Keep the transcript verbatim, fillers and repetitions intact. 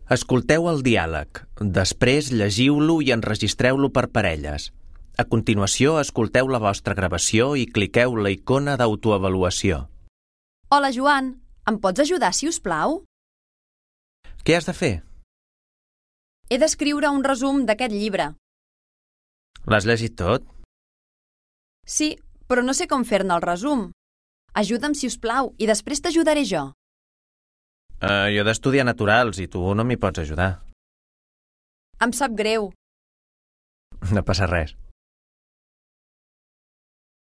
Escolteu el diàleg, després llegiu-lo i enregistreu-lo per parelles. A continuació, escolteu la vostra gravació i cliqueu la icona d'autoavaluació. Hola, Joan. Em pots ajudar, si us plau? Què has de fer? He d'escriure un resum d'aquest llibre. L'has llegit tot? Sí, però no sé com fer-ne el resum. Ajuda'm, si us plau, i després t'ajudaré jo. Uh, jo he d'estudiar naturals i tu no m'hi pots ajudar. Em sap greu. No passa res.